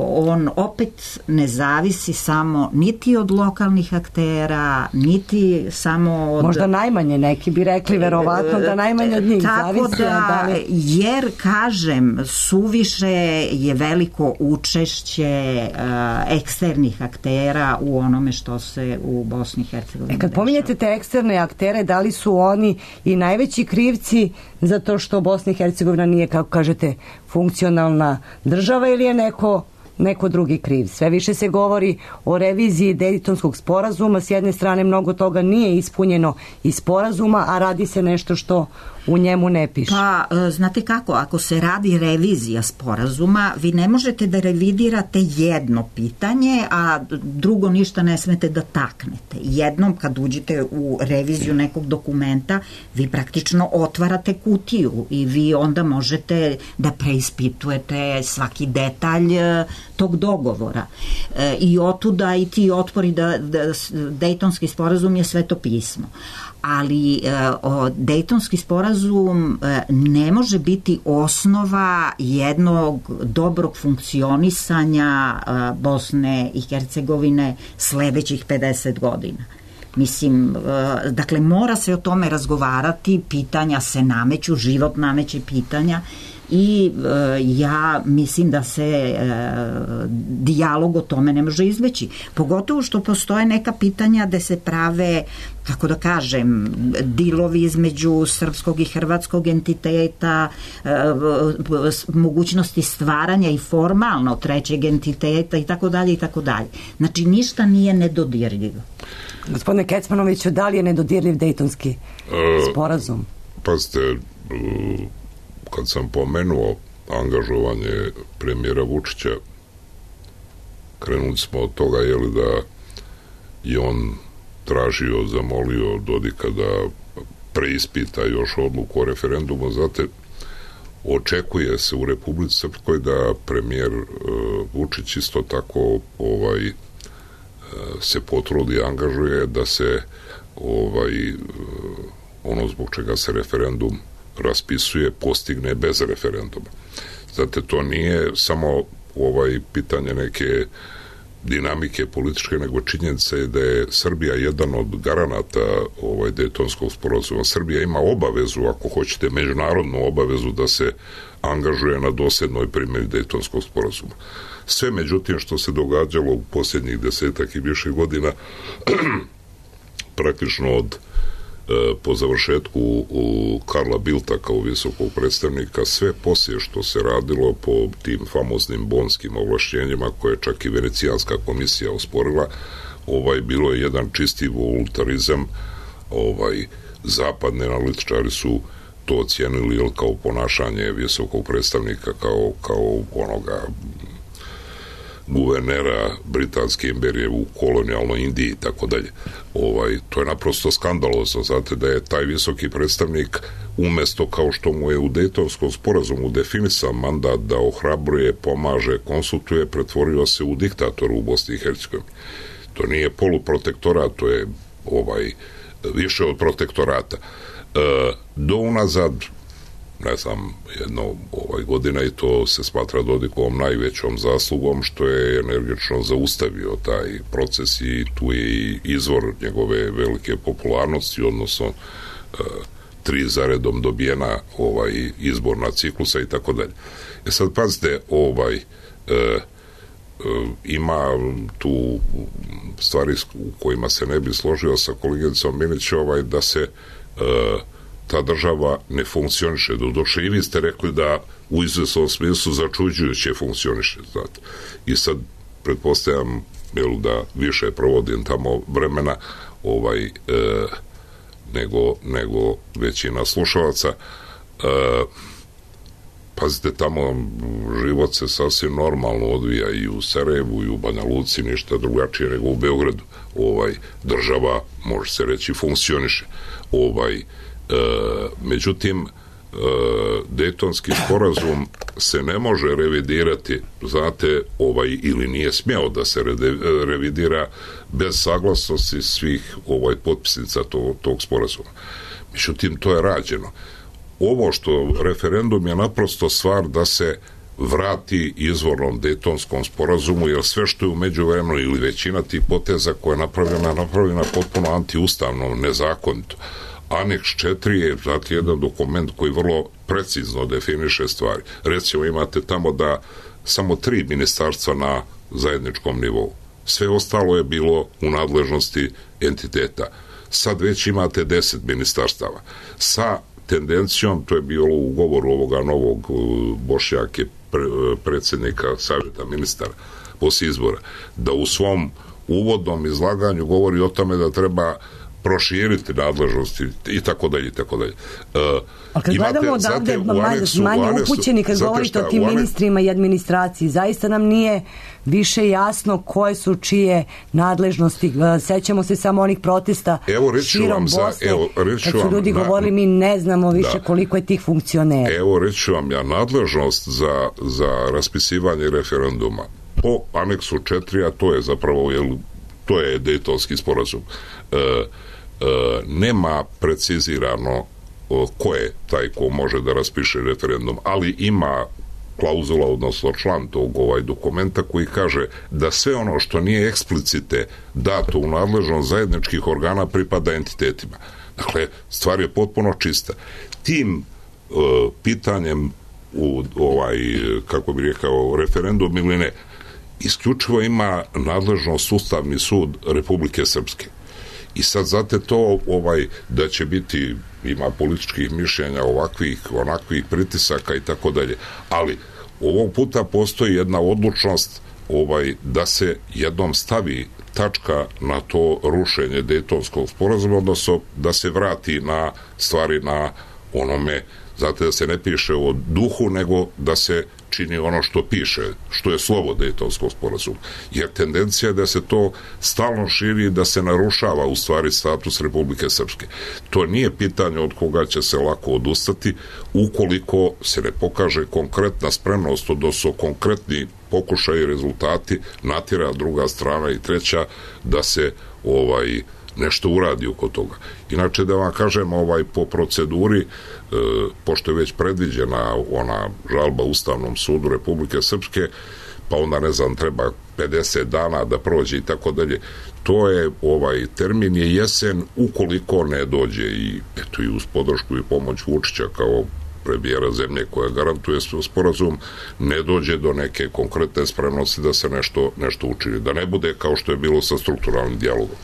on opet ne zavisi samo niti od lokalnih aktera, niti samo od... Možda najmanje, neki bi rekli verovatno da najmanje od njih tako zavisi. Da, da li... jer, kažem, suviše je veliko učešće uh, eksternih aktera u onome što se u Bosni i Hercegovini e, kad dešava. pominjete te eksterne aktere, da li su oni i najveći krivci zato što Bosna i Hercegovina nije, kako kažete, funkcionalna država, ili je neko, neko drugi kriv? Sve više se govori o reviziji Dejtonskog sporazuma. S jedne strane, mnogo toga nije ispunjeno iz sporazuma, a radi se nešto što u njemu ne piše. Pa, znate kako, ako se radi revizija sporazuma, vi ne možete da revidirate jedno pitanje, a drugo ništa ne smete da taknete. Jednom kad uđete u reviziju nekog dokumenta, vi praktično otvarate kutiju i vi onda možete da preispitujete svaki detalj tog dogovora. E, I otuda i ti otpori da, da Dejtonski sporazum je sveto pismo. Ali e, o, Dejtonski sporazum e, ne može biti osnova jednog dobrog funkcionisanja e, Bosne i Hercegovine sledećih pedeset godina. Mislim, e, dakle, mora se o tome razgovarati, pitanja se nameću, život nameće pitanja i e, ja mislim da se e, dijalog o tome ne može izbeći. Pogotovo što postoje neka pitanja gde se prave, kako da kažem, dilovi između srpskog i hrvatskog entiteta, e, mogućnosti stvaranja i formalno trećeg entiteta i tako dalje i tako dalje. Znači, ništa nije nedodirljivo. Gospodine Kecmanoviću, da li je nedodirljiv Dejtonski sporazum? Pazite, kad sam pomenuo angažovanje premijera Vučića, krenuli smo od toga, jeli, da je on tražio, zamolio Dodika da preispita još odluku o referendumu. Znate, očekuje se u Republici Srpskoj da premijer uh, Vučić isto tako ovaj uh, se potrudi i angažuje da se ovaj uh, ono zbog čega se referendum raspisuje, postigne bez referenduma. Znate, to nije samo ovaj pitanje neke dinamike političke, nego činjenica je da je Srbija jedan od garanata ovaj Dejtonskog sporazuma. Srbija ima obavezu, ako hoćete, međunarodnu obavezu da se angažuje na dosljednoj primjeni Dejtonskog sporazuma. Sve, međutim, što se događalo u posljednjih desetak i više godina, praktično od po završetku u Karla Bildta kao visokog predstavnika, sve poslije što se radilo po tim famoznim bonskim ovlašćenjima koje čak i Venecijanska komisija osporila, ovaj, bilo je jedan čisti voluntarizam. Ovaj, zapadni analitičari su to ocijenili jel, kao ponašanje visokog predstavnika, kao, kao onoga guvernera Britanske imperije u kolonijalnoj Indiji i tako dalje. Ovaj, to je naprosto skandalozno, znate da je taj visoki predstavnik umesto kao što mu je u Dejtonskom sporazumu definisan mandat da ohrabruje, pomaže, konsultuje, pretvorio se u diktatoru u Bosni i Hercegovini. To nije poluprotektorat, to je ovaj više od protektorata. E, do unazad ne znam, jedno ovaj godina i to se smatra Dodikovom najvećom zaslugom što je energično zaustavio taj proces i tu je i izvor njegove velike popularnosti, odnosno e, tri zaredom dobijena ovaj izborna ciklusa i tako dalje. E sad pazite, ovaj e, e, ima tu stvari u kojima se ne bi složio sa koleginicom Milić, ovaj, da se e, ta država ne funkcioniše. Doduše i vi ste rekli da u izvesnom smislu začuđujuće funkcioniše. Znate. I sad pretpostavljam jel, da više provodim tamo vremena ovaj, e, nego, nego većina slušalaca. E, pazite, tamo život se sasvim normalno odvija i u Sarajevu i u Banja Luci, ništa drugačije nego u Beogradu. Ovaj, država, može se reći, funkcioniše. Ovaj, E, međutim, e, Dejtonski sporazum se ne može revidirati, znate, ovaj, ili nije smjeo da se rede, revidira bez saglasnosti svih ovaj potpisnica to, tog sporazuma. Međutim, to je rađeno. Ovo što referendum je naprosto stvar da se vrati izvornom Dejtonskom sporazumu, jer sve što je u međuvremenu ili većina tih poteza koja je napravljena, napravljena potpuno antiustavno, nezakonito. Aneks četiri je, znate, jedan dokument koji vrlo precizno definiše stvari. Recimo, imate tamo da samo tri ministarstva na zajedničkom nivou. Sve ostalo je bilo u nadležnosti entiteta. Sad već imate deset ministarstava. Sa tendencijom, to je bilo u govoru ovoga novog Bošnjake, predsjednika savjeta ministara poslije izbora, da u svom uvodnom izlaganju govori o tome da treba proširiti nadležnosti i tako dalje i tako dalje. Uh, A kad imate, gledamo odavde manje, manje upućeni kad govorite o tim ministrima i administraciji, zaista nam nije više jasno koje su čije nadležnosti. Sećamo se samo onih protesta širom Bosne, evo, kad su ljudi vam, govorili mi ne znamo više da, koliko je tih funkcionera. Evo reću vam ja, nadležnost za, za raspisivanje referenduma po aneksu četiri, a to je zapravo jel, to je Dejtonski sporazum. E, e, nema precizirano o, ko je taj ko može da raspiše referendum, ali ima klauzula, odnosno član tog ovaj dokumenta koji kaže da sve ono što nije eksplicite dato u nadležnost zajedničkih organa pripada entitetima. Dakle, stvar je potpuno čista. Tim e, pitanjem u ovaj, kako bi rekao, referendum ili ne, isključivo ima nadležnost Ustavni sud Republike Srpske. I sad znate to ovaj, da će biti, ima političkih mišljenja ovakvih, onakvih pritisaka i tako dalje. Ali ovog puta postoji jedna odlučnost ovaj, da se jednom stavi tačka na to rušenje Dejtonskog sporazuma, odnosno da se vrati na stvari na onome, znate, da se ne piše o duhu, nego da se čini ono što piše, što je slovo Dejtonskog sporazuma. Jer tendencija je da se to stalno širi i da se narušava u stvari status Republike Srpske. To nije pitanje od koga će se lako odustati ukoliko se ne pokaže konkretna spremnost, odnosno konkretni pokušaj i rezultati natjera druga strana i treća da se ovaj nešto uradi oko toga. Inače, da vam kažem, ovaj, po proceduri, e, pošto je već predviđena ona žalba Ustavnom sudu Republike Srpske, pa onda, ne znam, treba pedeset dana da prođe i tako dalje, to je, ovaj, termin je jesen ukoliko ne dođe i, eto, i uz podršku i pomoć Vučića kao premijera zemlje koja garantuje sporazum, ne dođe do neke konkretne spremnosti da se nešto, nešto učini. Da ne bude kao što je bilo sa strukturalnim dijalogom.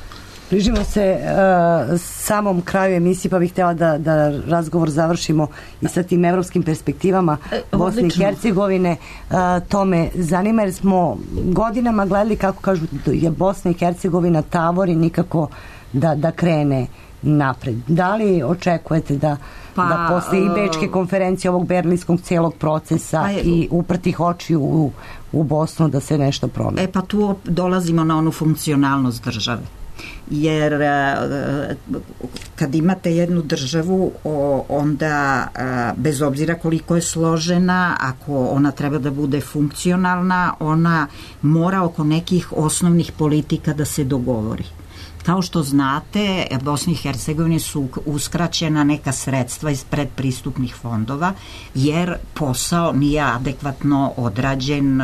Prižimo se uh, samom kraju emisije, pa bih htjela da, da razgovor završimo i sa tim evropskim perspektivama e, Bosne i Hercegovine. Uh, to me zanima jer smo godinama gledali kako kažu je Bosna i Hercegovina tavori nikako da, da krene napred. Da li očekujete da, pa, da posle i Bečke konferencije ovog berlinskog cijelog procesa pa je, i uprtih očiju u, u Bosnu da se nešto promeni? E pa tu dolazimo na onu funkcionalnost države. Jer kad imate jednu državu onda bez obzira koliko je složena, ako ona treba da bude funkcionalna, ona mora oko nekih osnovnih politika da se dogovori. Kao što znate, Bosni i Hercegovini su uskraćena neka sredstva iz predpristupnih fondova, jer posao nije adekvatno odrađen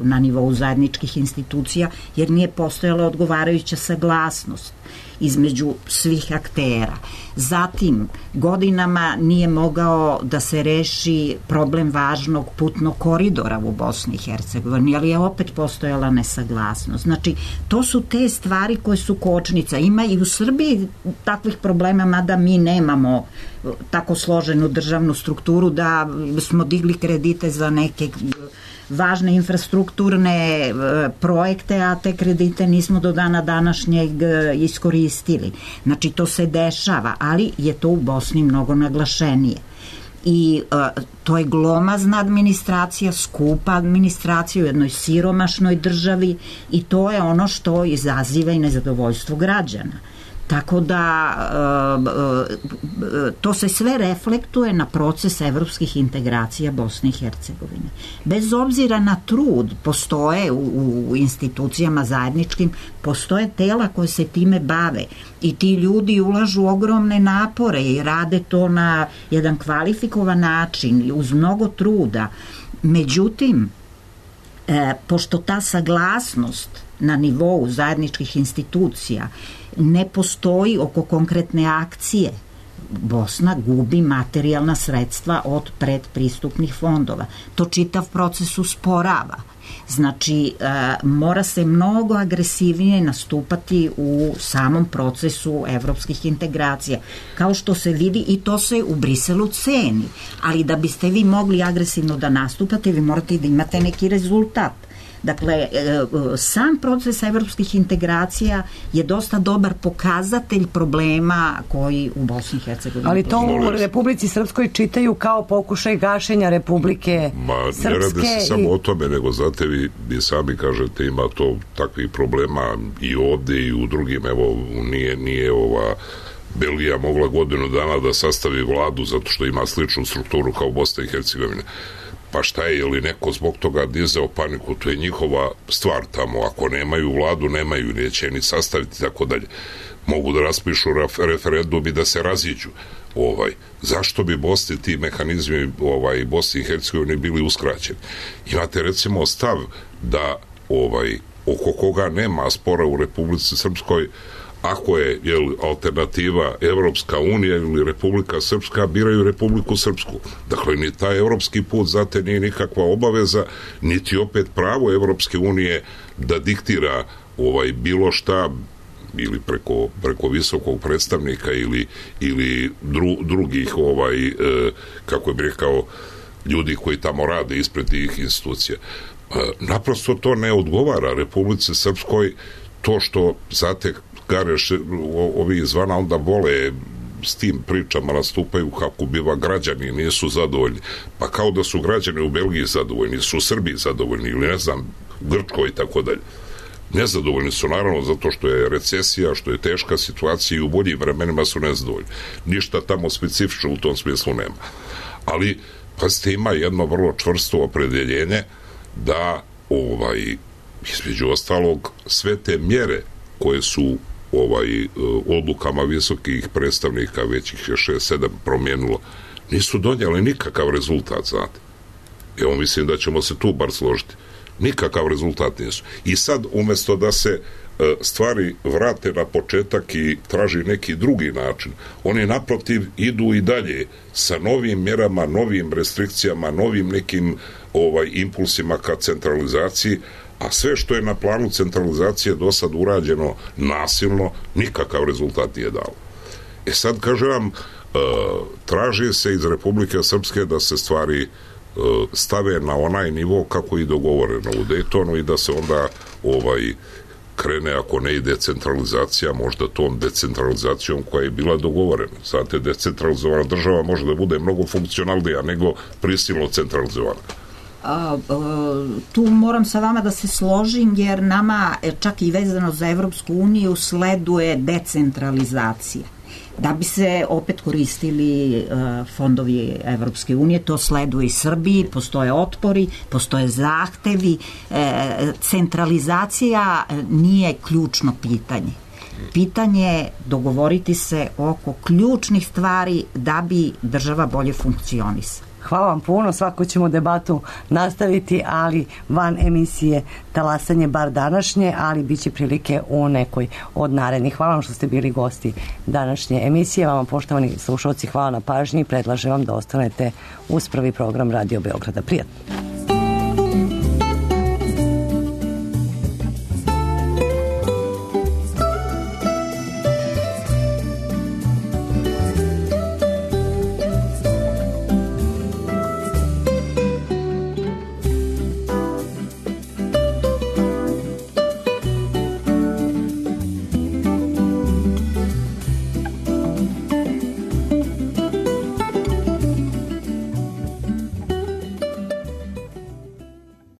na nivou zajedničkih institucija, jer nije postojala odgovarajuća saglasnost između svih aktera. Zatim, godinama nije mogao da se reši problem važnog putnog koridora u Bosni i Hercegovini, ali je opet postojala nesaglasnost. Znači, to su te stvari koje su kočnica. Ima i u Srbiji takvih problema, mada mi nemamo tako složenu državnu strukturu da smo digli kredite za neke važne infrastrukturne projekte, a te kredite nismo do dana današnjeg iskoristili. Znači, to se dešava, ali je to u Bosni mnogo naglašenije. I uh, to je glomazna administracija, skupa administracija u jednoj siromašnoj državi i to je ono što izaziva i nezadovoljstvo građana. Tako da to se sve reflektuje na proces evropskih integracija Bosne i Hercegovine. Bez obzira na trud, postoje u, u institucijama zajedničkim, postoje tela koje se time bave i ti ljudi ulažu ogromne napore i rade to na jedan kvalifikovan način, uz mnogo truda. Međutim, e, pošto ta saglasnost na nivou zajedničkih institucija ne postoji oko konkretne akcije, Bosna gubi materijalna sredstva od predpristupnih fondova. To čitav proces usporava. Znači, e, mora se mnogo agresivnije nastupati u samom procesu evropskih integracija. Kao što se vidi, i to se u Briselu ceni. Ali da biste vi mogli agresivno da nastupate, vi morate da imate neki rezultat. Dakle, sam proces evropskih integracija je dosta dobar pokazatelj problema koji u Bosni i Hercegovini. Ali to u Republici Srpskoj čitaju kao pokušaj gašenja Republike Ma, Srpske. Ne radi se i... samo o tome, nego znate vi, vi sami kažete ima to takvih problema i ovde i u drugim, evo, nije, nije ova Belgija mogla godinu dana da sastavi vladu zato što ima sličnu strukturu kao Bosna i Hercegovina. Pa šta je, je li neko zbog toga dizao paniku, to je njihova stvar tamo, ako nemaju vladu, nemaju, neće ni sastaviti, tako dalje. Mogu da raspišu referendum i da se raziđu. Ovaj, zašto bi Bosni ti mehanizmi ovaj, Bosni i Hercegovine bili uskraćeni? Imate recimo stav da ovaj, oko koga nema spora u Republici Srpskoj, ako je jel, alternativa Evropska unija ili Republika Srpska, biraju Republiku Srpsku. Dakle, ni taj evropski put zate nije nikakva obaveza, niti opet pravo Evropske unije da diktira ovaj, bilo šta ili preko, preko visokog predstavnika ili, ili dru, drugih ovaj, e, kako je rekao, ljudi koji tamo rade ispred tih institucija. E, naprosto to ne odgovara Republici Srpskoj, to što zate Gareš, ovi izvana onda vole s tim pričama nastupaju kako biva građani nisu zadovoljni. Pa kao da su građani u Belgiji zadovoljni, su Srbi zadovoljni ili ne znam, Grčkoj i tako dalje. Nezadovoljni su naravno zato što je recesija, što je teška situacija i u boljim vremenima su nezadovoljni. Ništa tamo specifično u tom smislu nema. Ali, pazite, ima jedno vrlo čvrsto opredeljenje da ovaj, između ostalog sve te mjere koje su ovaj odlukama visokih predstavnika, već ih je šest sedam promijenilo, nisu donijeli nikakav rezultat, znate. Evo, mislim da ćemo se tu bar složiti. Nikakav rezultat nisu. I sad, umjesto da se stvari vrate na početak i traži neki drugi način, oni naprotiv idu i dalje sa novim mjerama, novim restrikcijama, novim nekim ovaj impulsima ka centralizaciji, A sve što je na planu centralizacije do sad urađeno nasilno, nikakav rezultat nije dao. E sad, kažem vam, traži se iz Republike Srpske da se stvari stave na onaj nivo kako i dogovoreno u Daytonu i da se onda ovaj krene, ako ne i decentralizacija, možda tom decentralizacijom koja je bila dogovorena. Znate, decentralizovana država može da bude mnogo funkcionalnija nego prisilno centralizovana. A, a, tu moram sa vama da se složim, jer nama čak i vezano za Evropsku uniju sleduje decentralizacija. Da bi se opet koristili uh, fondovi Evropske unije, to sleduje i Srbiji, postoje otpori, postoje zahtevi. E, centralizacija nije ključno pitanje. Pitanje je dogovoriti se oko ključnih stvari da bi država bolje funkcionisala. Hvala vam puno, svako ćemo debatu nastaviti, ali van emisije Talasanje, bar današnje, ali bit će prilike u nekoj od narednih. Hvala vam što ste bili gosti današnje emisije. Vama, poštovani slušalci, hvala na pažnji i predlažem vam da ostanete uz prvi program Radio Beograda. Prijatno.